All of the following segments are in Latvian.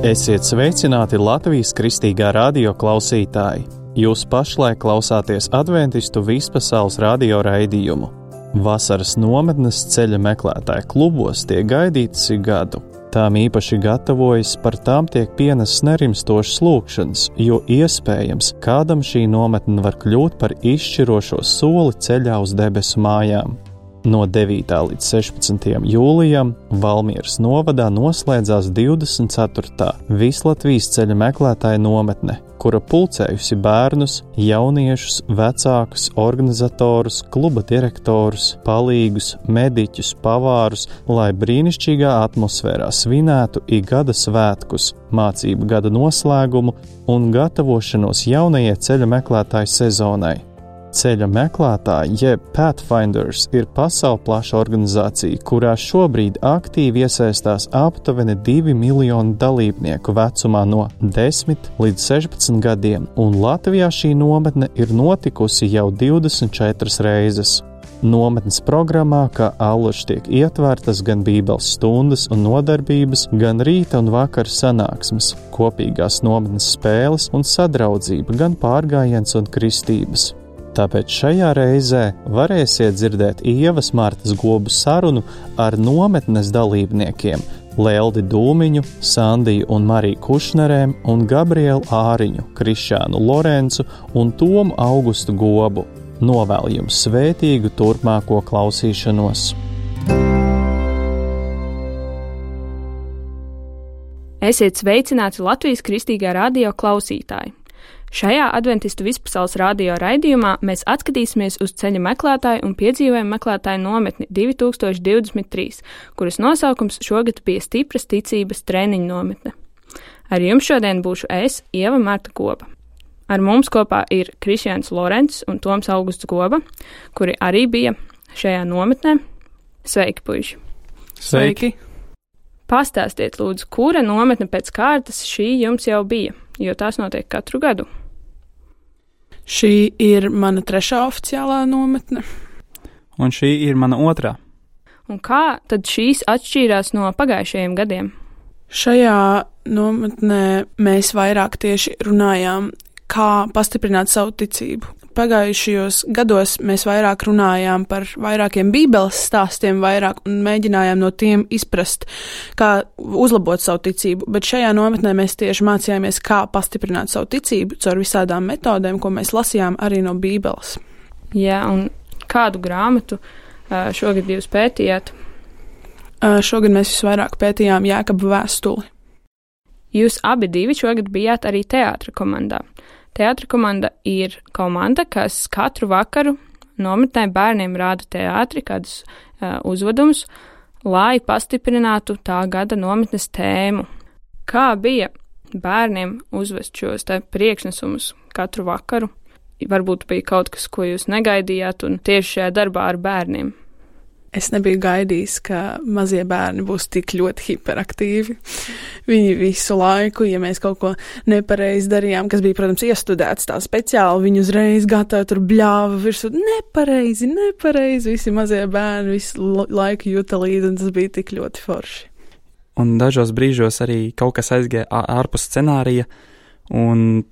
Esiet sveicināti Latvijas Kristīgā radio klausītāji! Jūs pašlaik klausāties Adventistu vispasaules radio raidījumu. Vasaras nometnes ceļa meklētāju klubos tiek gaidītas ik gadu. Tām īpaši gatavojas, par tām tiek pienests nerimstošas lūgšanas, jo iespējams, kādam šī nometne var kļūt par izšķirošo soli ceļā uz debesu mājām. No 9. līdz 16. jūlijam Valmieras novadā noslēdzās 24. Vislatvijas ceļa meklētāju nometne, kura pulcējusi bērnus, jauniešus, vecākus, organizatorus, kluba direktorus, palīgus, mediķus, pavārus, lai brīnišķīgā atmosfērā svinētu ik gada svētkus, mācību gada noslēgumu un gatavošanos jaunajai ceļa meklētāju sezonai. Ceļa meklētāji, jeb Pathfinders, ir pasaulplaša organizācija, kurā šobrīd aktīvi iesaistās aptuveni 2 miljoni dalībnieku vecumā no 10 līdz 16 gadiem, un Latvijā šī nometne ir notikusi jau 24 reizes. Nometnes programmā, kā allaž tiek ietvērtas gan bībeles stundas un nodarbības, gan rīta un vakara sanāksmes, kopīgās nometnes spēles un sadraudzība, gan pārgājiens un kristības. Tāpēc šajā reizē varēsiet dzirdēt Ievas Martas Gobu sarunu ar nometnes dalībniekiem Leldi Dūmiņu, Sandiju un Mariju Kušnerēm un Gabrielu Āriņu, Krišānu Lorencu un Tomu Augustu Gobu. Novēl jums svētīgu turpmāko klausīšanos. Esiet sveicināti Latvijas Kristīgā radio klausītāji! Šajā Adventistu vispasaules radio raidījumā mēs atskatīsimies uz ceļa meklētāju un piedzīvojumu meklētāju nometni 2023, kuras nosaukums šogad bija stipras ticības treniņu nometne. Ar jums šodien būšu es, Ieva Marta Goba. Ar mums kopā ir Krišjāns Lorents un Toms Augusts Goba, kuri arī bija šajā nometnē. Sveiki, puiši! Sveiki! Pastāstiet, lūdzu, kura nometne pēc kārtas šī jums jau bija, jo tās notiek katru gadu? Šī ir mana 3. oficiālā nometne. Un šī ir mana 2. Un kā tad šīs atšķīrās no pagājušajiem gadiem? Šajā nometnē mēs vairāk tieši runājām, kā pastiprināt savu ticību. Pagājušajos gados mēs vairāk runājām par vairākiem bībeles stāstiem un mēģinājām no tiem izprast, kā uzlabot savu ticību, bet šajā nometnē mēs tieši mācījāmies, kā pastiprināt savu ticību caur visādām metodēm, ko mēs lasījām arī no bībeles. Jā, un kādu grāmatu šogad jūs pētījāt? Šogad mēs visvairāk pētījām Jākaba vēstuli. Jūs abi divi šogad bijāt arī teātra komandā. Teātra komanda ir komanda, kas katru vakaru nometnē bērniem rāda teātri, kādus uzvedumus, lai pastiprinātu tā gada nometnes tēmu. Kā bija bērniem uzvest šos priekšnesumus katru vakaru? Varbūt bija kaut kas, ko jūs negaidījāt, un tieši šajā darbā ar bērniem. Es nebiju gaidījis, ka mazie bērni būs tik ļoti hiperaktīvi. Viņi visu laiku, ja mēs kaut ko nepareizi darījām, kas bija, protams, iestudēts tā speciāli, viņi uzreiz gatavi tur bļāva virsū, nepareizi, visi mazie bērni visu laiku jūta līdzi, un tas bija tik ļoti forši. Un dažos brīžos arī kaut kas aizgāja ārpus scenārija, un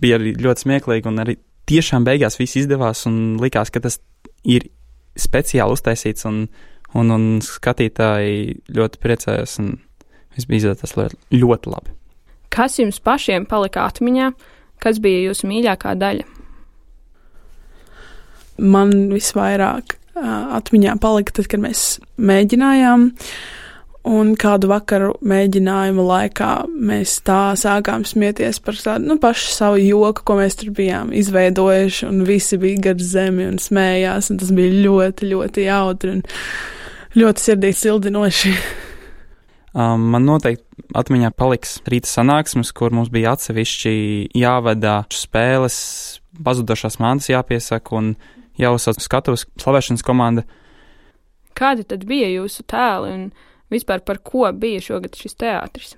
bija arī ļoti smieklīgi, un arī tiešām beigās viss izdevās, un likās, ka tas ir speciāli uztaisīts, un skatītāji ļoti priecājās, un viss bija izdevies ļoti labi. Kas jums pašiem palika atmiņā? Kas bija jūsu mīļākā daļa? Man visvairāk atmiņā palika tad, kad mēs mēģinājām, un kādu vakaru mēģinājuma laikā mēs tā sākām smieties par tādu, pašu savu joku, ko mēs tur bijām izveidojuši, un visi bija gar zemi un smējās, un tas bija ļoti, ļoti jautri un ļoti sirdī sildinoši. Man noteikti atmiņā paliks rīta sanāksmes, kur mums bija atsevišķi jāvada spēles, pazudušās mantas jāpiesaka un jāuzsauc skatuves slavēšanas komanda. Kādi tad bija jūsu tēli un vispār par ko bija šogad šis teātris?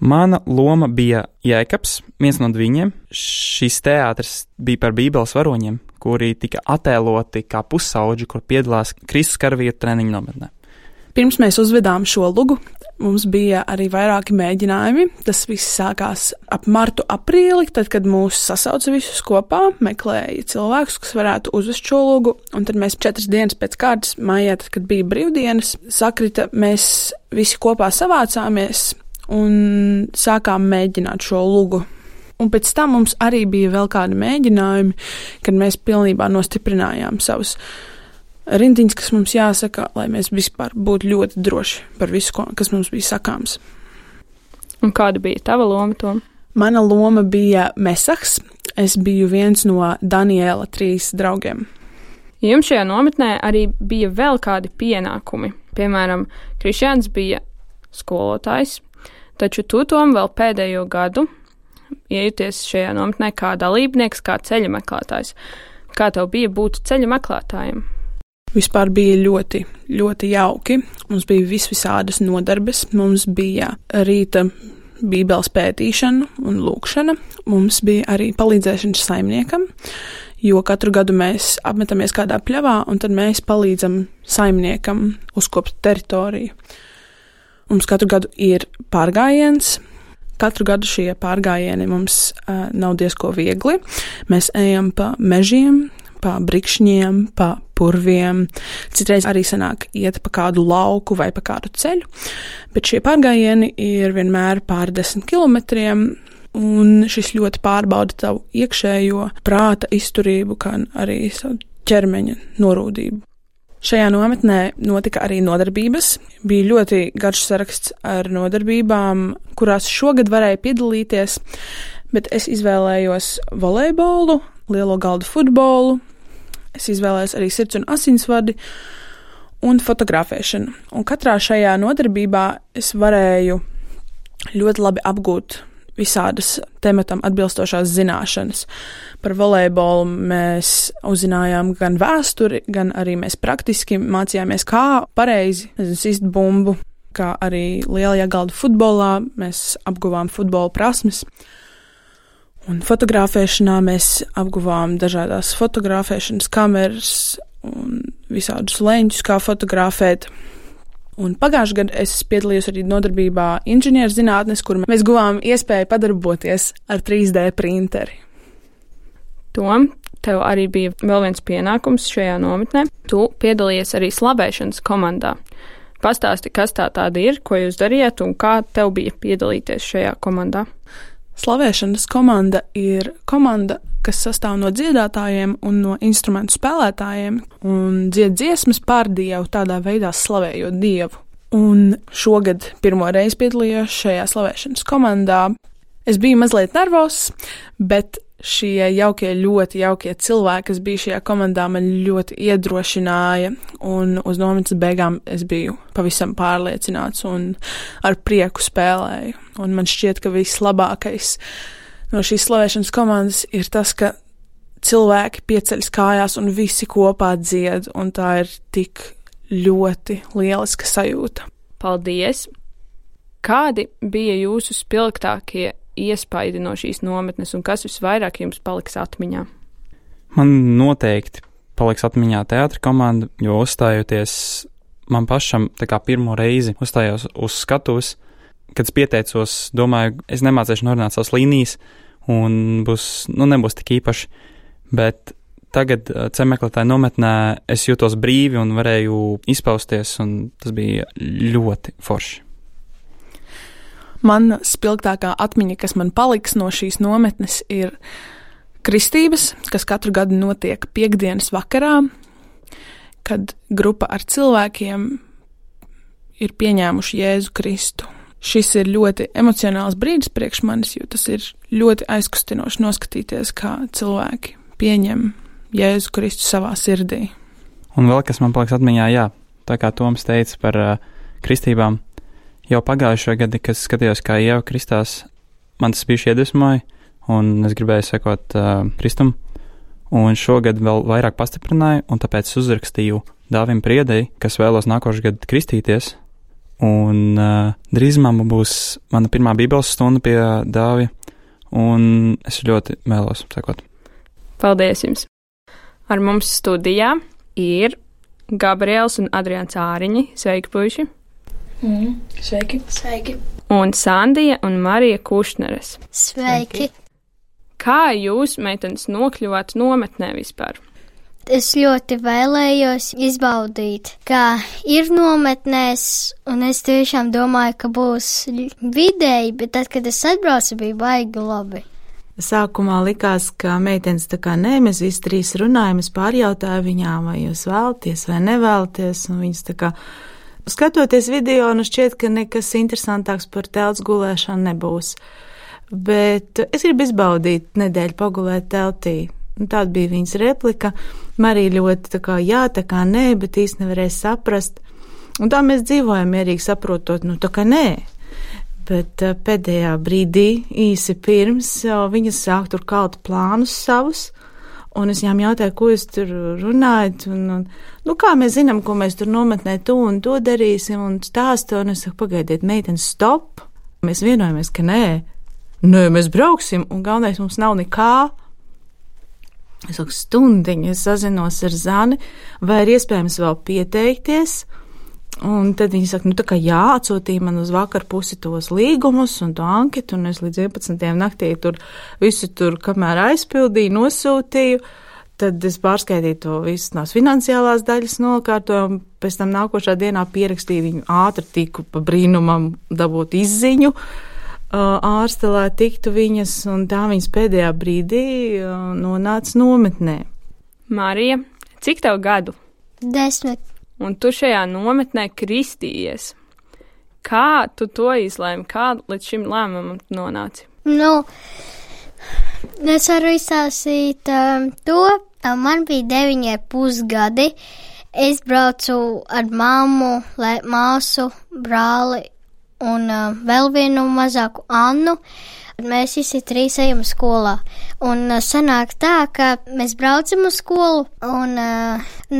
Mana loma bija Jēkabs, viens no viņiem. Šis teātris bija par bībeles varoņiem, kuri tika attēloti kā pusauģi, kur piedalās Kristus karavīru treniņu nometnē. Pirms mēs uzvedām šo lugu, Mums bija arī vairāki mēģinājumi. Tas viss sākās ap martu, aprīli, tad, kad mūs sasauca visus kopā, meklēja cilvēkus, kas varētu uzvest šo lūgu. Un tad mēs 4 dienas pēc kārtas maijā, tad, kad bija brīvdienas, sakrita, mēs visi kopā savācāmies un sākām mēģināt šo lūgu. Un pēc tam mums arī bija vēl kādi mēģinājumi, kad mēs pilnībā nostiprinājām savus rindiņas, kas mums jāsaka, lai mēs vispār būtu ļoti droši par visu, kas mums bija sakāms. Un kāda bija tava loma, Tom? Mana loma bija Mesahs. Es biju viens no Daniela 3 draugiem. Jums šajā nometnē arī bija vēl kādi pienākumi. Piemēram, Krišjāns bija skolotājs, taču tu, Tom, vēl pēdējo gadu iejuties šajā nometnē kā dalībnieks, kā ceļa meklētājs. Kā tev bija būt ceļa meklētājiem? Vispār bija ļoti, ļoti jauki. Mums bija visādas nodarbes. Mums bija rīta bībeles pētīšana un lūkšana. Mums bija arī palīdzēšana saimniekam, jo katru gadu mēs apmetamies kādā pļavā, un tad mēs palīdzam saimniekam uzkopt teritoriju. Mums katru gadu ir pārgājiens. Katru gadu šie pārgājieni mums nav diezko viegli. Mēs ejam pa mežiem, pa brikšņiem, pa purviem. Citreiz arī sanāk iet pa kādu lauku vai pa kādu ceļu, bet šie pārgājieni ir vienmēr pār 10 kilometriem, un šis ļoti pārbauda tavu iekšējo prāta izturību, kā arī savu ķermeņa norūdību. Šajā nometnē notika arī nodarbības. Bija ļoti garš saraksts ar nodarbībām, kurās šogad varēja piedalīties, bet es izvēlējos volejbolu, lielo galdu futbolu. Es izvēlējos arī sirds un asinsvadi un fotografēšanu. Un katrā šajā nodarbībā es varēju ļoti labi apgūt visādas tematam atbilstošās zināšanas. Par volejbolu mēs uzzinājām gan vēsturi, gan arī mēs praktiski mācījāmies, kā pareizi sist bumbu, kā arī lielajā galdu futbolā mēs apguvām futbola prasmes. Un fotografēšanā mēs apguvām dažādās fotografēšanas kameras un visādus leņķus, kā fotografēt. Un pagājušajā gadā es piedalījos arī nodarbībā inženierzinātnes, kur mēs guvām iespēju padarboties ar 3D printeri. Tom, tev arī bija vēl viens pienākums šajā nometnē. Tu piedalījies arī slavēšanas komandā. Pastāsti, kas tā tāda ir, ko jūs darījat un kā tev bija piedalīties šajā komandā? Slavēšanas komanda ir komanda, kas sastāv no dziedātājiem un no instrumentu spēlētājiem un dzied dziesmas par Dievu, tādā veidā slavējot Dievu. Un šogad pirmo reizi piedalījos šajā slavēšanas komandā. Es biju mazliet nervozs, bet šie ļoti jaukie cilvēki, kas bija šajā komandā, man ļoti iedrošināja, un uz nometnes beigām es biju pavisam pārliecināts un ar prieku spēlēju. Un man šķiet, ka vislabākais no šīs slavēšanas komandas ir tas, ka cilvēki pieceļas kājās un visi kopā dzied, un tā ir tik ļoti lieliska sajūta. Paldies! Kādi bija jūsu spilgtākie iespaidi no šīs nometnes, un kas visvairāk jums paliks atmiņā? Man noteikti paliks atmiņā teātra komanda, jo uzstājoties man pašam tā kā pirmo reizi uzstājos uz skatuves, kad es pieteicos, domāju, es nemācēšu norunāt savas līnijas, un nebūs tik īpaši, bet tagad ceļmeklētāju nometnē es jūtos brīvi un varēju izpausties, un tas bija ļoti forši. Man spilgtākā atmiņa, kas man paliks no šīs nometnes, ir kristības, kas katru gadu notiek piekdienas vakarā, kad grupa ar cilvēkiem ir pieņēmuši Jēzu Kristu. Šis ir ļoti emocionāls brīdis priekš manis, jo tas ir ļoti aizkustinoši noskatīties, kā cilvēki pieņem Jēzu Kristu savā sirdī. Un vēl kas man paliks atmiņā, tā kā Toms teica par kristībām, jau pagājušajā gadā, kad skatījos, kā Ieva kristās, man tas bija iedvesmoja, un es gribēju sekot Kristum, un šogad vēl vairāk pastiprināju, un tāpēc uzrakstīju Dāvim Priedei, kas vēlos nākošais gadu kristīties, un drīzumā būs mana pirmā bībeles stunda pie Dāvija, un es ļoti vēlos sekot. Paldies jums! Ar mums studijā ir Gabriels un Adrians Āriņi. Sveiki, puiši! Sveiki. Sveiki. Un Sandija un Marija Kušneres. Sveiki. Kā jūs, meitenes, nokļuvāt nometnē vispār? Es ļoti vēlējos izbaudīt, kā ir nometnēs, un es tiešām domāju, ka būs vidēji, bet tad, kad es atbraucu, bija baigi labi. Sākumā likās, ka meitenes tā kā nē, mēs visi trīs runājam, es pārjautāju viņām, vai jūs vēlaties vai nevēlaties, un viņas tā kā skatoties video, nu šķiet, ka nekas interesantāks par telts gulēšanu nebūs. Bet es gribu izbaudīt nedēļu pagulēt teltī. Un tāda bija viņas replika. Marija ļoti tā kā nē, bet īsti nevarēja saprast. Un tā mēs dzīvojam mierīgi saprotot, nu tā kā nē. Bet pēdējā brīdī, īsi pirms, viņas sāk tur kalt plānus savus. Un es viņām jautāju, ko jūs tur runājat, un kā mēs zinām, ko mēs tur nometnē to un to darīsim, un stāstu, un es saku, pagaidiet, meitenes, stop. Mēs vienojamies, ka nē, mēs brauksim, un galvenais mums nav nekā. Es saku, stundiņu, es sazinos ar Zani, vai ir iespējams vēl pieteikties, un tad viņi saka, tā kā jā, atsūtīja man uz vakar pusi tos līgumus un to anketu, un es līdz 11. naktī visu tur, kamēr aizpildīju, nosūtīju, tad es pārskaitīju to visas tās finansiālās daļas nokārtoju, un pēc tam nākošā dienā pierakstīju viņu ātri tiku pa brīnumam dabūt izziņu, ārste, lai tiktu viņas, un tā viņas pēdējā brīdī nonāca nometnē. Marija, cik tev gadu? 10. Un tu šajā nometnē kristījies. Kā tu to izlēmi? Kā līdz šim lēmumam nonāci? Es varu izstāstīt to. Man bija 9,5 gadi. Es braucu ar mammu, māsu, brāli un vēl vienu mazāku Annu. Mēs visi trīs ejam skolā. Un sanāk tā, ka mēs braucam uz skolu, un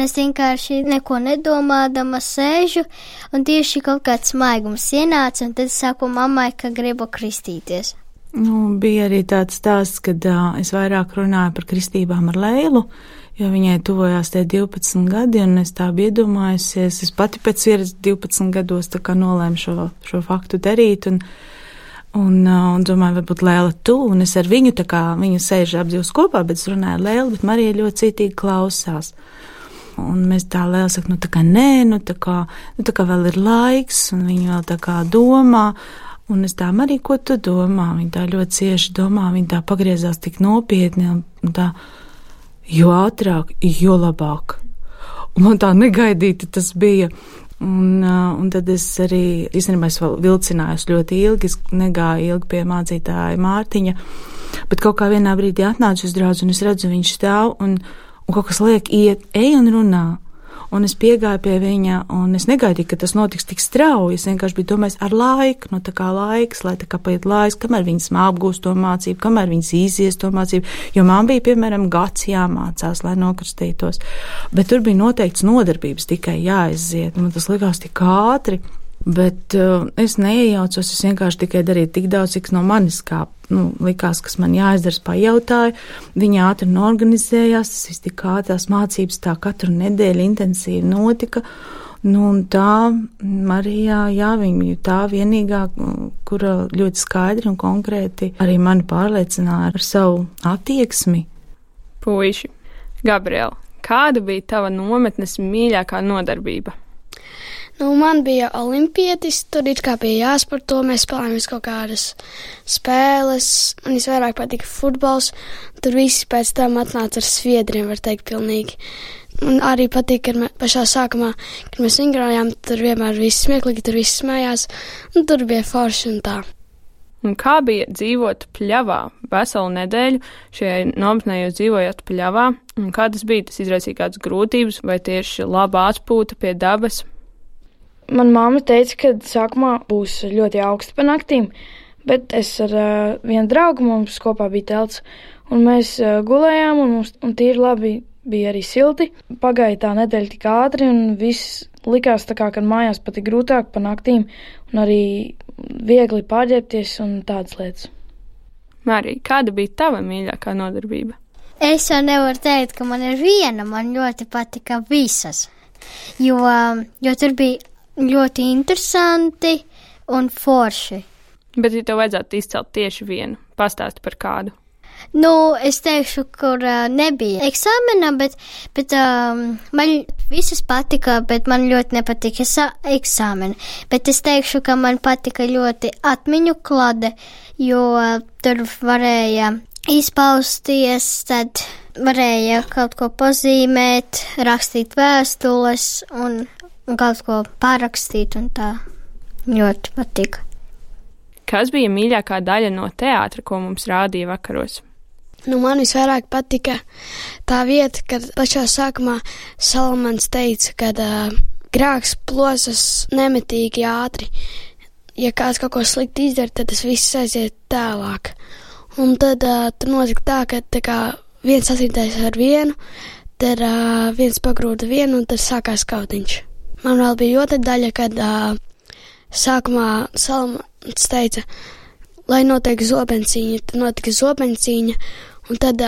es vienkārši neko nedomādama sēžu, un tieši kaut kāds smaigums ienāca, un tad es saku mammai, ka gribu kristīties. Bija arī tāds stāsts, kad es vairāk runāju par kristībām ar Leilu, jo viņai tuvojās tie 12 gadi, un es tā biju iedomājusies. Es pati pēc pieredzes 12 gados tā kā nolēmu šo faktu darīt, un domāju, varbūt Lēla tu, un es ar viņu tā kā, viņa sēž apdzīvos kopā, bet es runāju ar Lēlu, bet Marija ļoti citīgi klausās. Un mēs tā Lēla saka, tā kā nē, tā kā vēl ir laiks, un viņa vēl tā kā domā, un es tā, Marija, ko tu domā? Viņa tā ļoti cieši domā, viņa tā pagriezās tik nopietni, un tā, jo ātrāk, jo labāk. Un man tā negaidīti tas bija. Un tad es arī, īstenībā es vēl vilcinājos ļoti ilgi, es negāju ilgi pie mācītāja Mārtiņa, bet kaut kā vienā brīdī atnācu uz draudzi, un es redzu, viņš stāv, un kaut kas liek iet, ej un runā. Un es piegāju pie viņa, un es negaidīju, ka tas notiks tik strauji. Es vienkārši biju domājis ar laiku, tā kā laiks, lai tā kā paiet laiks, kamēr viņas apgūst to mācību, kamēr viņas izies to mācību, jo man bija, piemēram, gads jāmācās, lai nokristītos. Bet tur bija noteikts nodarbības tikai jāiziet, un tas likās tik ātri, bet es neiejaucos, es vienkārši tikai darīju tik daudz, cik no manis kā, likās, kas man jāizdara, pajautāju. Viņa ātri norganizējās, tas viss tik ātri, tās mācības tā katru nedēļu intensīvi notika. Un tā Marijā, viņa tā vienīgā, kura ļoti skaidri un konkrēti arī mani pārliecināja ar savu attieksmi. Puiši, Gabriela, kāda bija tava nometnes mīļākā nodarbība? Man bija olimpietis, tur it kā bija jāsporto, mēs spēlējām kaut kādas spēles, man visvairāk patika futbols, tur visi pēc tam atnāca ar sviedriem, var teikt, pilnīgi. Man arī patīk, ka pašā sākumā, kad mēs vingrojām, tur vienmēr viss smieklīgi, tur viss smējās, un tur bija forši un tā. Un kā bija dzīvot pļavā veselu nedēļu? Šajā nometnē jūs dzīvojat pļavā, un kā tas bija? Tas izraisīja kādas grūtības, vai tieši laba atpūta pie dabas? Man mamma teica, ka sākumā būs ļoti augsti pa naktīm, bet es ar vienu draugu, mums kopā bija telts, un mēs gulējām, un tīri labi bija arī silti. Pagāja tā nedēļa tik ātri, un viss likās tā kā, kad mājās pat ir grūtāk pa naktīm, un arī viegli pārģērbties un tādas lietas. Marija, kāda bija tava mīļākā nodarbība? Es jau nevaru teikt, ka man ir viena, man ļoti patika visas, jo tur bija ļoti interesanti un forši. Bet, ja tev vajadzētu izcelt tieši vienu, pastāsti par kādu. Es teikšu, kur nebija eksāmena, bet man visas patika, bet man ļoti nepatika eksāmena. Bet es teikšu, ka man patika ļoti atmiņu klade, jo tur varēja izpausties, tad varēja kaut ko pazīmēt, rakstīt vēstules un kaut ko parakstīt, un tā ļoti patika. Kas bija mīļākā daļa no teātra, ko mums rādīja vakaros? Man visvairāk patika tā vieta, kad pašā sākumā Salamans teica, ka grēks plosas nemitīgi ātri. Ja kāds kaut ko slikti izdara, tad tas viss aiziet tālāk. Un tad tur notika tā, ka viens sasītais ar vienu, tad viens pagrūda vienu, un tad sākās kautiņš. Man vēl bija otra daļa, kad sākumā Salamans teica, lai notiek zobencīņa, tad notika zobencīņa, un tad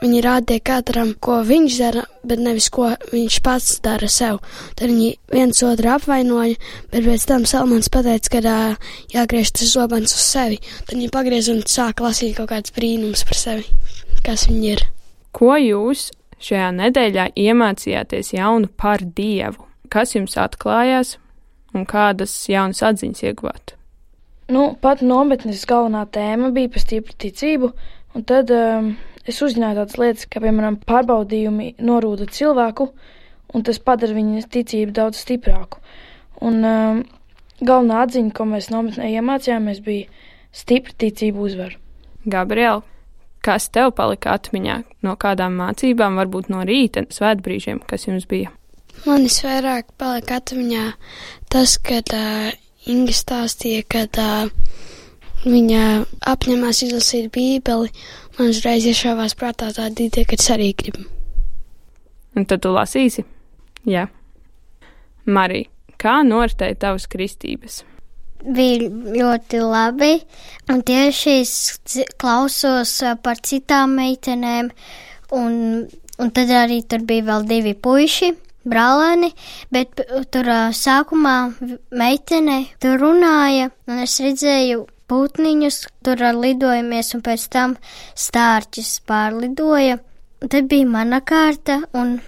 viņi rādīja katram, ko viņš dara, bet nevis ko viņš pats dara sev. Tad viņi viens otru apvainoja, bet pēc tam Salamans pateica, ka jāgriež tas zobens uz sevi. Tad viņi pagriez un sāk lasīt kaut kāds brīnums par sevi, kas viņi ir. Ko jūs šajā nedēļā iemācījāties jaunu par Dievu? Kas jums atklājās un kādas jaunas atziņas ieguvāt? Pat nometnes galvenā tēma bija par stipru ticību, un tad es uzzināju tādas lietas, kā, piemēram, pārbaudījumi norūda cilvēku, un tas padara viņa ticību daudz stiprāku. Un galvenā atziņa, ko mēs nometnē iemācījāmies, bija stipra ticība uzvar. Gabriela, kas tev palika atmiņā no kādām mācībām, varbūt no rīta svētbrīžiem, kas jums bija? Man visvairāk palika atmiņā tas, kad Inga stāstīja, kad viņa apņemās izlasīt Bībeli, man uzreiz iešāvās prātā tāda ideja, ka es arī gribu. Un tad tu lasīsi? Jā. Marija, kā noritēja tavas kristības? Bija ļoti labi, un tieši es klausos par citām meitenēm, un tad arī tur bija vēl 2 puiši. Brālēni, bet tur sākumā meitene tur runāja, un es redzēju putniņus, tur lidojamies, un pēc tam stārķis pārlidoja. Tad bija mana kārta, un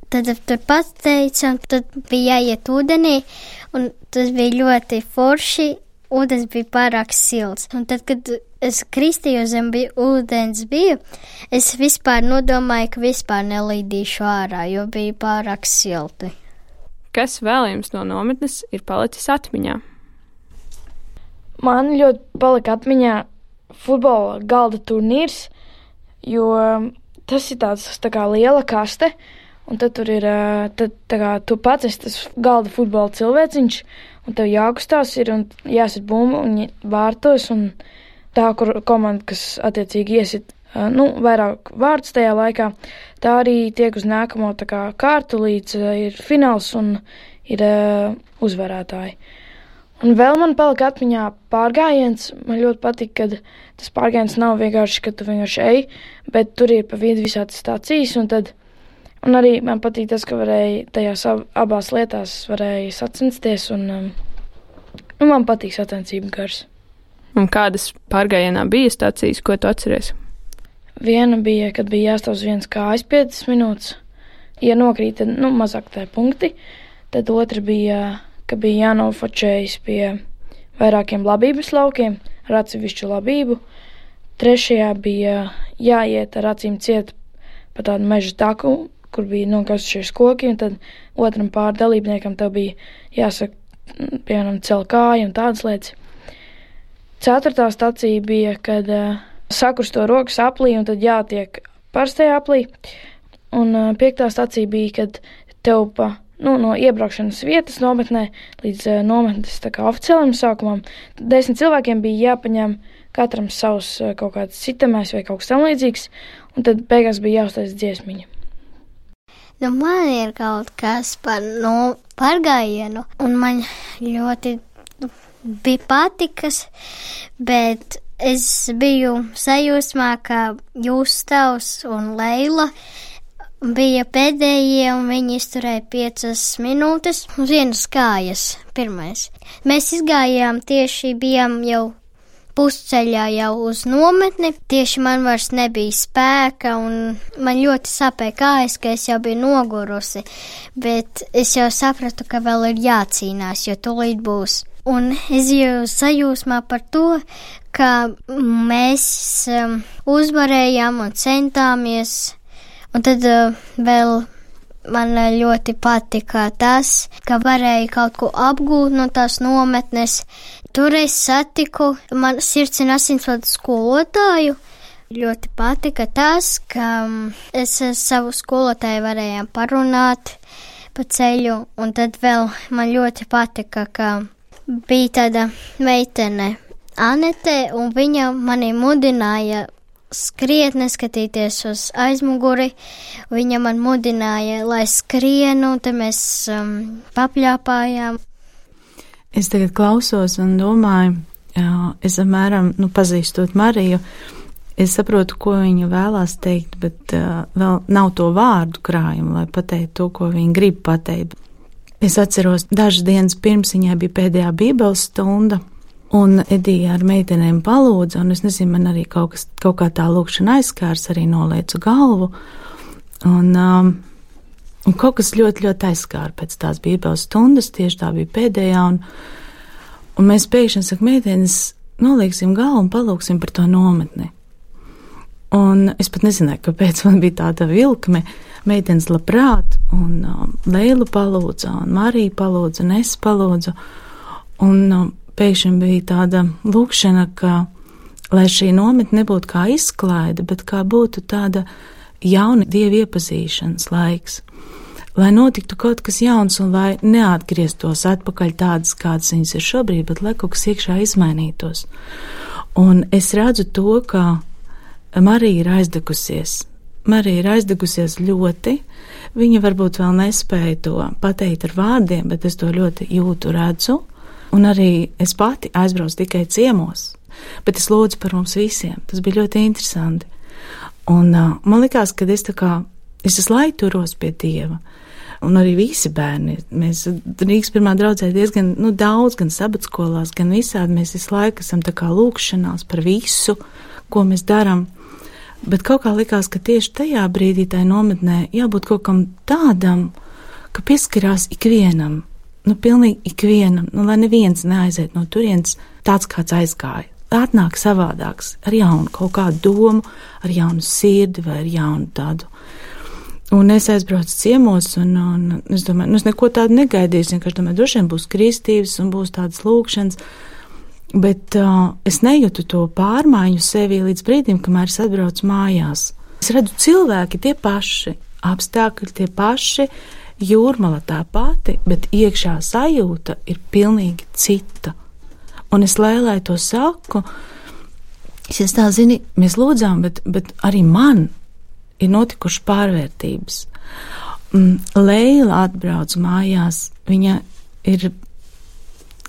tad tur pats teica, un tad bija jāiet ūdenī, un tas bija ļoti forši, ūdens bija pārāk silts. Un tad, kad es kristījos zem ūdens biju, es vispār nodomāju, ka vispār nelīdīšu ārā, jo bija pārāk silti. Kas vēl jums no nometnes ir palicis atmiņā? Man ļoti palika atmiņā futbola galda turnīrs, jo tas ir tāds tā kā liela kaste, un tad tur ir, tu pats esi tas galda futbola cilvēciņš, un tev jākustās ir, un jāsit bumbu, un vārtos, un tā, kur komanda, kas attiecīgi iesit, vairāk vārdus tajā laikā, tā arī tiek uz nākamo tā kā kārtu, līdz ir fināls un ir uzvarētāji. Un vēl man palika atmiņā pārgājiens. Man ļoti patīk, kad tas pārgājiens nav vienkārši, ka tu vienkārši ej, bet tur ir pa vidu visādas stācijas, un arī man patīk tas, ka varēja tajās abās lietās varēja sacensties, un man patīk sacensību gars. Un kādas pārgājienā bija stācijas, ko tu atceries? Viena bija, kad bija jāstāv uz vienas kājas 5 minūtes. Ja nokrīt, tad mazāk tā punkti. Tad otra bija, ka bija jānofočējas pie vairākiem labības laukiem ar atsevišķu labību. Trešajā bija jāiet ar acīm ciet pa tādu meža taku, kur bija nokausušies koki, un tad otram pārdalībniekam tev bija jāsaka, piemēram, cel kāju un tādas lietas. 4. stacija bija, kad sakrusto rokas aplī, un tad jātiek parastajā aplī. Un 5. stacija bija, kad tev no iebraukšanas vietas nometnē līdz nometnes tā kā oficiālam sākumam 10 cilvēkiem bija jāpaņem katram savs kaut kāds sitamais vai kaut kas tam līdzīgs, un tad beigās bija jāuztais dziesmiņa. Man ir kaut kas par pārgājienu, un man ļoti bija patikas, bet es biju sajūsmā, ka jūs tavs un Leila bija pēdējie, un viņi izturēja 5 minūtes uz vienas kājas. Pirmais. Mēs izgājām tieši, bijām jau pusceļā jau uz nometni, tieši man vairs nebija spēka, un man ļoti sāpēja kājas, ka es jau biju nogurusi, bet es jau sapratu, ka vēl ir jācīnās, jo tūlīt būs. Un es jau sajūsmā par to, ka mēs uzvarējām un centāmies, un tad vēl man ļoti patika tas, ka varēja kaut ko apgūt no tās nometnes. Tur es satiku man sirds un asinsvadu skolotāju. Ļoti patika tas, ka es savu skolotāju varējām parunāt pa ceļu, un tad vēl man ļoti patika, ka bija tāda meitene Anete, un viņa mani mudināja skriet, neskatīties uz aizmuguri. Viņa man mudināja, lai skrienu, un te mēs papļāpājām. Es tagad klausos un domāju, es apmēram, pazīstot Mariju, es saprotu, ko viņa vēlās teikt, bet vēl nav to vārdu krājumu, lai pateikt to, ko viņa grib pateikt. Es atceros, dažas dienas pirms viņai bija pēdējā bībeles stunda, un Edija ar meitenēm palūdza, un es nezinu, man arī kaut kā tā lūkšana aizskārs, arī noliecu galvu, un kaut kas ļoti, ļoti aizskāra pēc tās bībeles stundas, tieši tā bija pēdējā, un mēs pēkšņi saka, meitenes, nolieksim galvu un palūksim par to nometni. Un es pat nezināju, kāpēc man bija tāda vilkme, meitenes labprāt, un Leilu palūdza, un Marija palūdza, un es palūdzu, un pēkšņi bija tāda lūkšana, ka, lai šī nometne nebūtu kā izklaide, bet kā būtu tāda jauna Dieva iepazīšanas laiks, lai notiktu kaut kas jauns un lai neatgrieztos atpakaļ tādas, kādas viņas ir šobrīd, bet lai kaut kas iekšā izmainītos. Un es redzu to, ka Marija ir aizdegusies. Marija ir aizdegusies ļoti. Viņa varbūt vēl nespēja to pateikt ar vārdiem, bet es to ļoti jūtu, redzu. Un arī es pati aizbraucu tikai ciemos, bet es lūdzu par mums visiem. Tas bija ļoti interesanti. Un man likās, ka es visu laiku turos pie Dieva. Un arī visi bērni. Mēs Rīgas pirmā draudzē diezgan daudz, gan sabatskolās, gan visādi. Mēs visu laiku esam tā kā lūkšanās par visu, ko mēs darām. Bet kaut kā likās, ka tieši tajā brīdī tai nometnē jābūt kaut kam tādam, ka pieskarās ikvienam. Pilnīgi ikvienam, lai neviens neaiziet no turienes tāds, kāds aizgāja. Atnāk savādāks, ar jaunu kaut kādu domu, ar jaunu sirdi vai ar jaunu tādu. Un es aizbraucu ciemos, un es domāju, es neko tādu negaidīju, vienkārši domāju, droši vien būs kristības un būs tādas lūkšanas, bet es nejūtu to pārmaiņu sevī līdz brīdim, kamēr es atbraucu mājās. Es redzu cilvēki tie paši, apstākļi tie paši, Jūrmala tā pati, bet iekšā sajūta ir pilnīgi cita. Un es Lēlai to saku, es tā zini, mēs lūdzām, bet arī man ir notikuši pārvērtības. Leila atbrauc mājās, viņa ir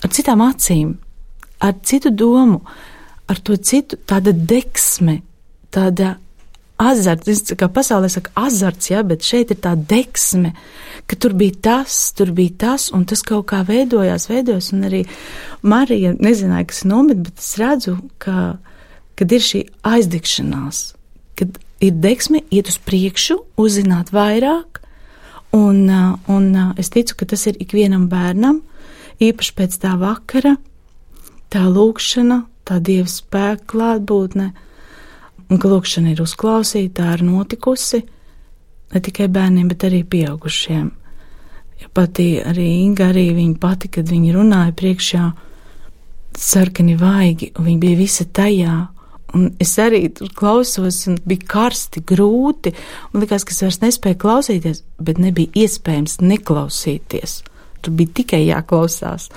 ar citām acīm, ar citu domu, ar to citu, tāda deksme, tāda azarts, kā pasaulē saka azarts, bet šeit ir tā deksme, ka tur bija tas, un tas kaut kā veidojās, un arī Marija nezināja, kas nomet, bet es redzu, kad ir šī aizdegšanās, kad ir deksme iet uz priekšu, uzzināt vairāk, un es ticu, ka tas ir ikvienam bērnam, īpaši pēc tā vakara, tā lūkšana, tā Dieva spēka klātbūtne, un ka lūkšana ir uzklausīta, tā ir notikusi, ne tikai bērniem, bet arī pieaugušiem. Ja pati arī Inga, arī viņa pati, kad viņa runāja priekšā, sarkani vaigi, un viņa bija visa tajā, un es arī tur klausos, un bija karsti, grūti, un likās, ka es vairs nespēju klausīties, bet nebija iespējams neklausīties. Tur bija tikai jāklausās.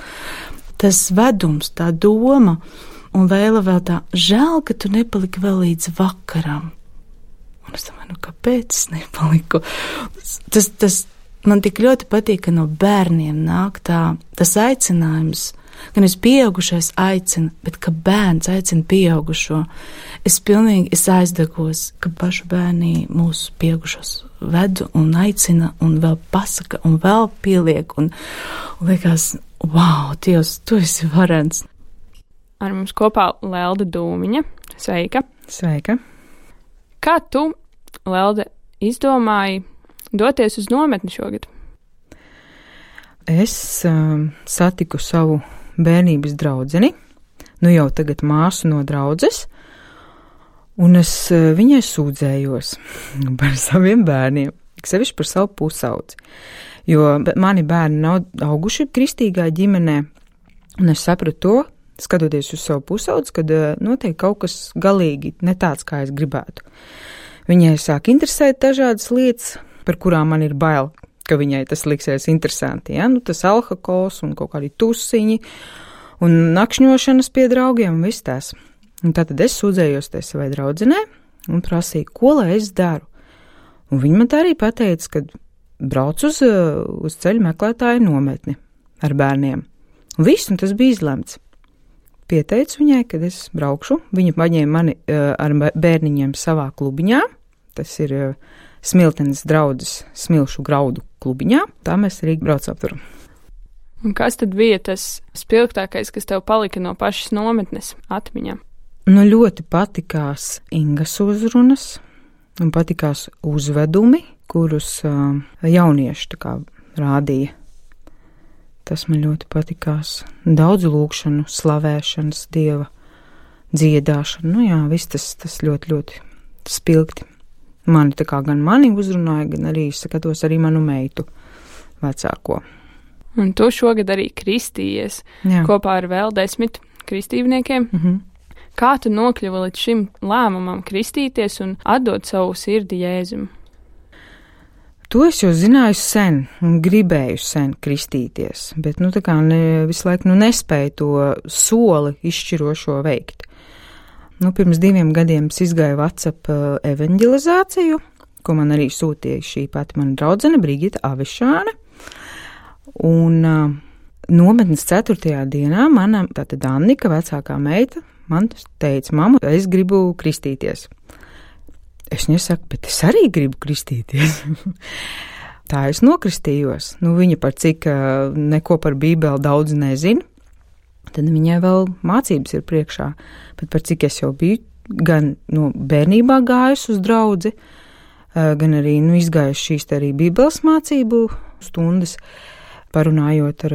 Tas vedums, tā doma, un Vēla vēl tā, žēl, ka tu nepaliki vēl līdz vakaram. Un es domāju, kāpēc es nepaliku? Tas man tik ļoti patīk, ka no bērniem nāk tas aicinājums, gan es pieaugušais aicinu, bet ka bērns aicina pieaugušo. Es aizdegos, ka pašu bērni mūsu pieaugušos ved un aicina un vēl pasaka un vēl pieliek un liekas, wow, Dievs, tu esi varens. Ar mums kopā Lelde Dūmiņa. Sveika! Sveika! Kā tu, Lelde, izdomāji doties uz nometni šogad? Es satiku savu bērnības draudzeni, nu jau tagad māsu no draudzes, un es viņai sūdzējos par saviem bērniem, sevišķi par savu pusaudzi, jo mani bērni nav auguši kristīgā ģimenē, un es sapratu to, skatoties uz savu pusaudzi, kad notiek kaut kas galīgi ne tāds, kā es gribētu. Viņai sāk interesēt dažādas lietas, par kurām man ir bail, ka viņai tas liksies interesanti, ja? Nu, tas alkohols un kaut kādi tusiņi un nakšņošanas pie draugiem un viss tās. Un tātad es sūdzējos te savai draudzenē un prasīju, ko lai es daru. Un viņa man tā arī pateica, ka brauc uz ceļu meklētāju nometni ar bērniem. Un viss, un tas bija izlemts. Pieteicu viņai, kad es braukšu. Viņa paņēma mani ar bērniņiem savā klubiņā. Tas ir Smiltenes draudzes smilšu graudu klubiņā. Tā mēs arī braucam tur. Un kas tad bija tas spilgtākais, kas tev palika no pašas nometnes atmiņā? Nu, ļoti patikās Ingas uzrunas un patikās uzvedumi, kurus jaunieši tā kā rādīja. Tas man ļoti patikās. Daudz lūkšanu, slavēšanas, Dieva dziedāšanu. Nu jā, viss tas ļoti, ļoti spilgti. Mani tā kā gan mani uzrunāja, gan arī skatos arī manu meitu vecāko. Un tu šogad arī kristījies kopā ar vēl 10 kristībniekiem. Mhm. Kā tu nokļuvi līdz šim lēmumam kristīties un atdot savu sirdi Jēzum? To es jau zināju sen un gribēju sen kristīties, bet tā kā visu laiku nespēju to soli izšķirošo veikt. Pirms 2 gadiem es izgāju WhatsApp evanģelizāciju, ko man arī sūtīja šī pati mana draudzene Brigita Avišāne. Un nometnes 4. dienā mana tātad Annika, vecākā meita, man teica, mamma, es gribu kristīties. Es nesaku, bet es arī gribu kristīties. Tā es nokristījos. Viņa par cik neko par Bībeli daudz nezina, tad viņai vēl mācības ir priekšā. Bet par cik es jau biju gan bērnībā gājusi uz draudzi, gan arī izgājuši šīs arī Bībeles mācību stundas, parunājot ar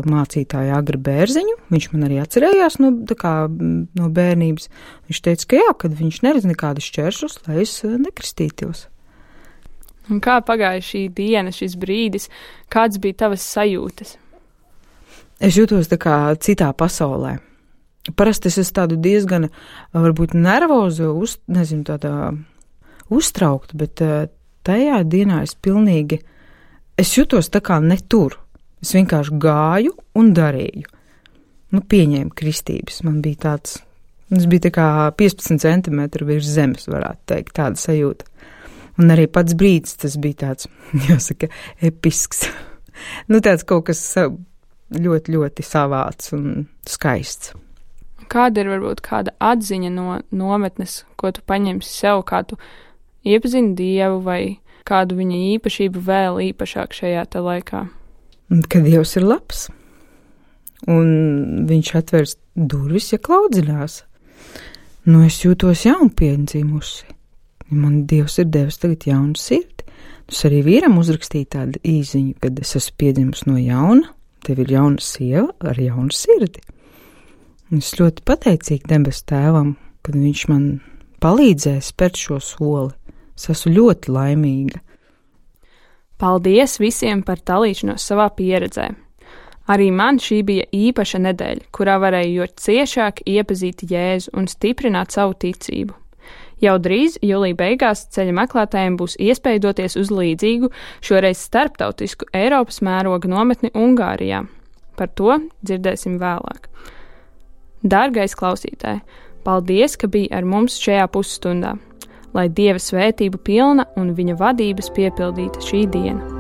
mācītāju Agri Bērziņu. Viņš man arī atcerējās no bērnības. Viņš teica, ka jā, kad viņš neredz nekādus šķēršļus, lai es nekristītos. Un kā pagāja šī diena, šis brīdis? Kāds bija tavas sajūtas? Es jūtos tā kā citā pasaulē. Parasti es esmu tādu diezgan, varbūt nervozu, uztraukta, bet tajā dienā es jūtos tā kā ne tur. Es vienkārši gāju un darīju. Pieņēmu kristības. Man bija tāds, es biju tā kā 15 centimetru virs zemes, varētu teikt, tāda sajūta. Un arī pats brīdis, tas bija tāds, jāsaka, episks. Tāds kaut kas ļoti, ļoti savāds un skaists. Kāda ir varbūt kāda atziņa no nometnes, ko tu paņemsi sev, kā tu iepazini Dievu vai kādu viņa īpašību vēl īpašāk šajā te laikā? Kad Dievs ir labs, un viņš atvers durvis, ja klaudzinās. Es jūtos jaunpiedzimmusi. Man Dievs ir devis tagad jaunu sirdi. Es arī vīram uzrakstīju tādu īziņu, kad es esmu piedzimusi no jauna, tev ir jauna sieva ar jaunu sirdi. Es ļoti pateicīgi debes tēvam, kad viņš man palīdzēja spērt šo soli. Es esmu ļoti laimīga. Paldies visiem par dalīšanos savā pieredzē. Arī man šī bija īpaša nedēļa, kurā varēju jo ciešāk iepazīt Jēzu un stiprināt savu ticību. Jau drīz, jūlija beigās, ceļa meklētājiem būs iespēja doties uz līdzīgu, šoreiz starptautisku Eiropas mēroga nometni Ungārijā. Par to dzirdēsim vēlāk. Dārgais klausītāj, paldies, ka biji ar mums šajā pusstundā. Lai Dieva svētība pilna un viņa vadības piepildīta šī diena.